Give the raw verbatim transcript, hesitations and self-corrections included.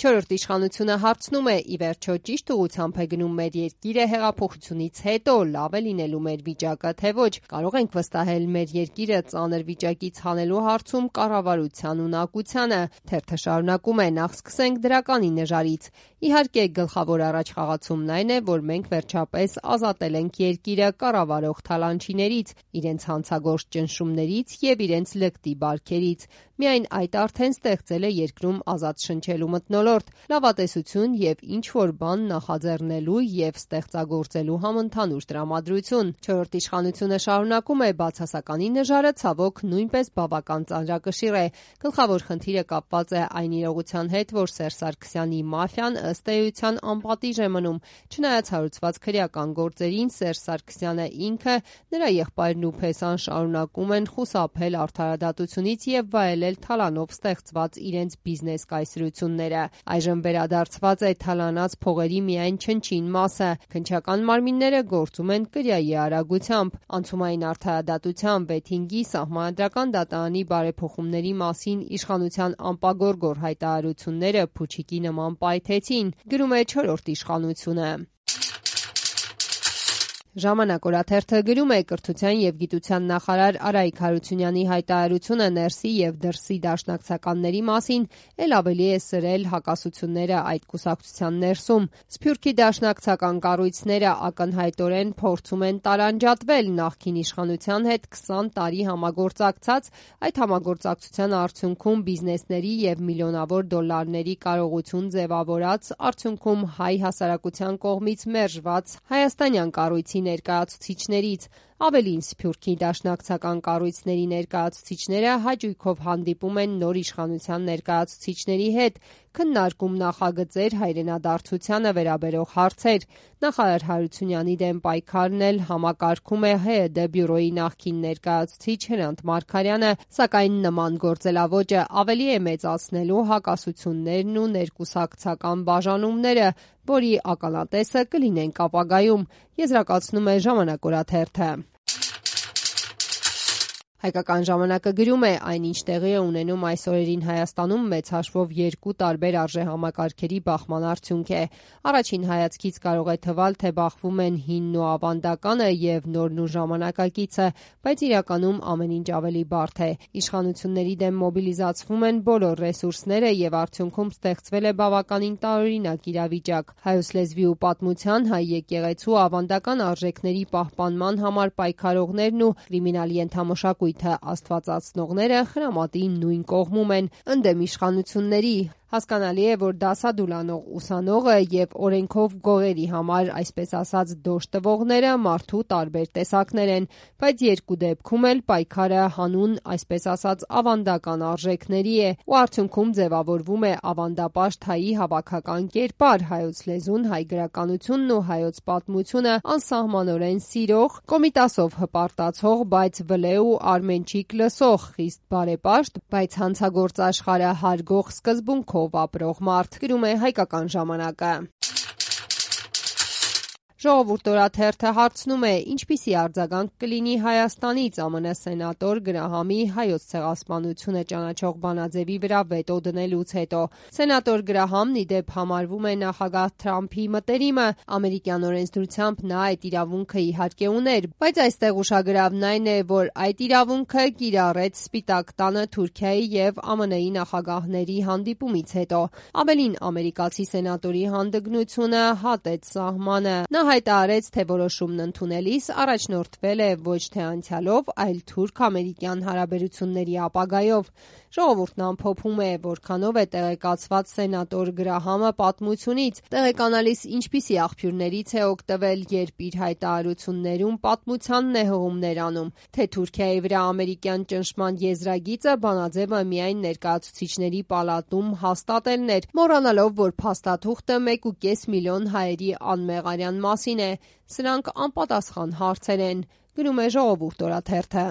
Չորրորդ իշխանությունը հարցնում է՝ ի վերջո ճիշտ ուղղությամբ է գնում մեր երկիրը հեղափոխությունից հետո, լավ է լինելու մեր վիճակը, թե ոչ, կարող ենք վստահել մեր երկիրը ծանր վիճակից հանելու հարցում կառավարության ունակությանը։ Թերթը շարունակում է՝ նախ սկսենք դրականի նժարից։ Իհարկե, գլխավոր առաջխաղացումն այն է, որ մենք վերջապես ազատել ենք երկիրը կառավարող թալանչիներից, իրենց հանցագործ ճնշումներից և իրենց լկտի բարքերից։ Միայն այդ արդեն ստեղծել է երկրում ազատ շնչելու մթնոլորտ, լավատեսություն և ինչ-որ բան նախաձեռնելու և ստեղծագործելու համընդհանուր տրամադրություն։ Չորրորդ իշխանությունը շարունակում է՝ բացասականի նժարը ցավոք նույնպես բավական ծանրակշիռ է։ Գլխավոր խնդիրը կապված է այն իրողության հետ, որ Սերժ Սարգսյանի մաֆիան ըստ էության անպատիժ է մնում։ Չնայած հարուցված քրեական գործերին, Սերժ Սարգսյանը ինքը, նրա եղբայրն ու Փեսան շարունակում են խուսափել արդարադատությունից և վայելել թալանով ստեղծված իրենց բիզնես կայսրությունները։ Այժմ վերադարձված է թալանած փողերի միայն չնչին մասը։ Քննչական մարմինները գործում են կրիայի արագությամբ։ Անցումային արդարադատության վեթինգի Սահմանադրական դատարանի բարեփոխումների մասին իշխանության անպագորգոր հայտարարությունները փուչիկի նման պայթեցին, գրում է Չորրորդ իշխանությունը։ Ժամանակ օրաթերթը գրում է՝ կրթության և գիտության նախարար Արայիկ Հարությունյանի հայտարարությունը ներսի և դրսի դաշնակցականների մասին էլ ավելի է սրել հակասությունները այդ կուսակցության ներսում։ Սփյուռքի դաշնակցական կառույցները ակնհայտորեն փորձում են տարանջատվել նախկին իշխանության հետ քսան տարի համագործակցած, այդ համագործակցության արդյունքում բիզնեսների և միլիոնավոր դոլարների կարողություն ձևավորած, արդյունքում հայ հասարակության կողմից մերժված հայաստանյան կառույցի ներկայացուցիչներից։ Ավելին, Սփյուռքի դաշնակցական կառույցների ներկայացուցիչները հաճույքով հանդիպում են նոր իշխանության ներկայացուցիչների հետ, քննարկում նախագծեր, հայրենադարձությանը վերաբերող հարցեր։ Նախարար Հարությունյանի դեմ պայքարն էլ համակարգում է ՀՅԴ բյուրոյի նախկին ներկայացուցիչ Հրանտ Մարգարյանը, սակայն նման գործելաոճը ավելի է մեծացնելու հակասություններն ու ներկուսակցական բաժանումները, որի ականատեսը կլինենք ապագայում, եզրակացնում է Ժամանակ օրաթերթը։ Հայկական ժամանակը գրում է՝ այնինչ տեղի է ունենում այս օրերին Հայաստանում մեծ հաշվով երկու տարբեր արժեհամակարգերի բախման արդյունք է։ Առաջին հայացքից կարող է թվալ, թե բախվում են հինն ու ավանդականը և նորն ու ժամանակակիցը, բայց իրականում ամեն ինչ ավելի բարդ է։ Իշխանությունների դեմ մոբիլիզացվում են բոլոր ռեսուրսները և արդյունքում ստեղծվել է բավականին տարօրինակ իրավիճակ։ Հայոց լեզվի ու պատմության, հայ եկեղեցու ավանդական արժեքների պահպանման համար պայքարողներն ու կրիմինալ ենթամշակույթը աստվածացնողները խրամատի նույն կողմում են, ընդդեմ իշխանությունների։ Հասկանալի է, որ դասադուլ անող ուսանողը և օրենքով գողերի համար, այսպես ասած, դոժ տվողները մարդու տարբեր տեսակներ են, բայց երկու դեպքում էլ պայքարը հանուն, այսպես ասած, ավանդական արժեքների է, ու արդյունքում ձևավորվում է ավանդապաշտ հայի հավաքական կերպար՝ հայոց լեզուն, հայ գրականությունն ու հայոց պատմությունը անսահմանորեն սիրող, Կոմիտասով հպարտացող, բայց վլե ու արմենչիկ լսող, խիստ բարեպաշտ, բայց հանցագործ աշխարհը հարգող սկզբունքով ապրող մարդ, գրում է Հայկական ժամանակը։ Ժողովուրդ օրաթերթը հարցնում է՝ ինչպիսի արձագանք կլինի Հայաստանից ԱՄՆ սենատոր Գրահամի հայոց ցեղասպանությունը ճանաչող բանաձևի վրա վետո դնելուց հետո։ Սենատոր Գրահամն ի դեպ համարվում է նախագահ Թրամփի մտերիմը։ Ամերիկյան օրենսդրությամբ նա այդ իրավունքը իհարկե ուներ, բայց այստեղ ուշագրավն այն է, որ այդ իրավունքը կիրառեց Սպիտակ տանը Թուրքիայի և ԱՄՆ-ի նախագահների հանդիպումից հետո։ Ավելին, ամերիկացի սենատորի հանդգնությունը հատեց սահմանը։ Նա հայտարարեց, թե որոշումն ընդունելիս առաջնորդվել է ոչ թե անցյալով, այլ թուրք-ամերիկյան հարաբերությունների ապագայով։ Ժողովուրդն ամփոփում է, որքանով է տեղեկացված սենատոր Գրահամը պատմությունից, տեղեկանալիս ինչպիսի աղբյուրներից է օգտվել, երբ իր հայտարարություններում պատմությանն է հղումներ անում, թե Թուրքիայի վրա ամերիկյան ճնշման եզրագիծը բանաձևը միայն ներկայացուցիչների պալատում հաստատելն էր, մոռանալով, որ փաստաթուղթը մեկ ու կես միլիոն հայերի անմեղարյան մասին է։ Սրանք անպատասխան հարցեր են, գրում է Ժողովուրդ օրաթերթը։